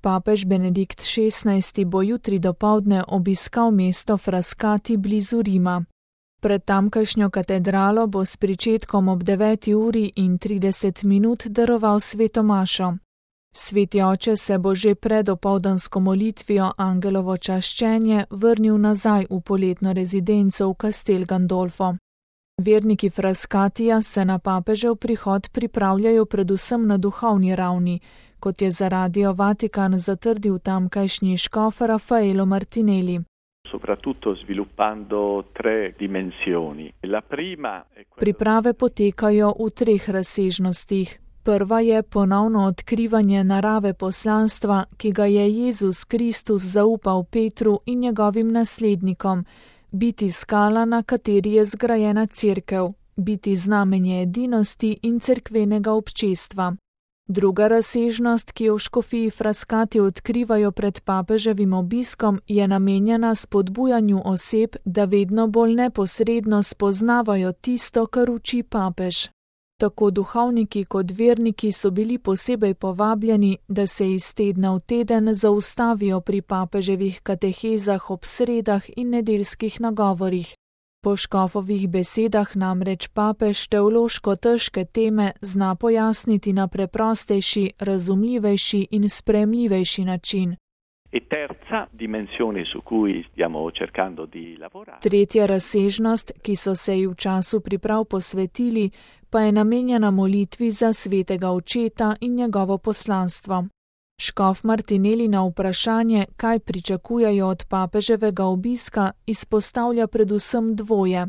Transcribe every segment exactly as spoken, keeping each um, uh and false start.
Papež Benedikt šestnajsti bo jutri dopoldne obiskal mesto Frascati blizu Rima. Pred tamkajšnjo katedralo bo s pričetkom ob deveti uri in trideset minut daroval sveto mašo. Sveti oče se bo že pred opoldansko molitvijo Angelovo čaščenje vrnil nazaj v poletno rezidenco v Castel Gandolfo. Verniki Frascatija se na papežev prihod pripravljajo predvsem na duhovni ravni, kot je za Radio Vatikan zatrdil tamkajšnji škof Raffaello Martinelli. Soprattutto sviluppando tre dimensioni. La prima è quella... Priprave potekajo v treh razsežnostih. Prva je ponovno odkrivanje narave poslanstva, ki ga je Jezus Kristus zaupal Petru in njegovim naslednikom, biti skala, na kateri je zgrajena cerkev, biti znamenje edinosti in cerkvenega občestva. Druga razsežnost, ki jo v škofiji Frascati odkrivajo pred papeževim obiskom, je namenjena spodbujanju oseb, da vedno bolj neposredno spoznavajo tisto, kar uči papež. Tako duhovniki kot verniki so bili posebej povabljeni, da se iz tedna v teden zaustavijo pri papeževih katehezah ob sredah in nedeljskih nagovorih. Po škofovih besedah namreč papež teološko težke teme zna pojasniti na preprostejši, razumljivejši in sprejemljivejši način. E terza dimensione su cui stiamo cercando di lavorare. Tretja razsežnost, ki so se ji v času priprav posvetili, pa je namenjena molitvi za svetega očeta in njegovo poslanstvo. Škof Martinelli na vprašanje, kaj pričakujejo od papeževega obiska, izpostavlja predvsem dvoje.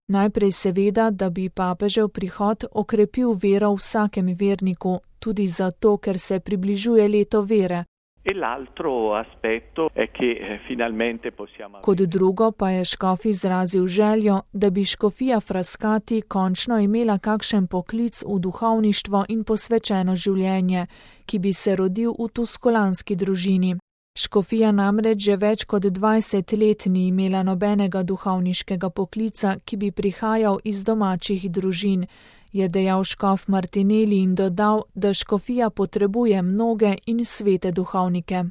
Najprej seveda, da bi papežev prihod okrepil vero v vsakem verniku, tudi zato, ker se približuje leto vere. E l'altro aspetto è che finalmente possiamo... Kot drugo pa je škof izrazil željo, da bi škofija Frascati končno imela kakšen poklic v duhovništvo in posvečeno življenje, ki bi se rodil v tuskolanski družini. Škofija namreč že več kot dvajset let ni imela nobenega duhovniškega poklica, ki bi prihajal iz domačih družin, je dejal škof Martinelli in dodal, da škofija potrebuje mnoge in svete duhovnike.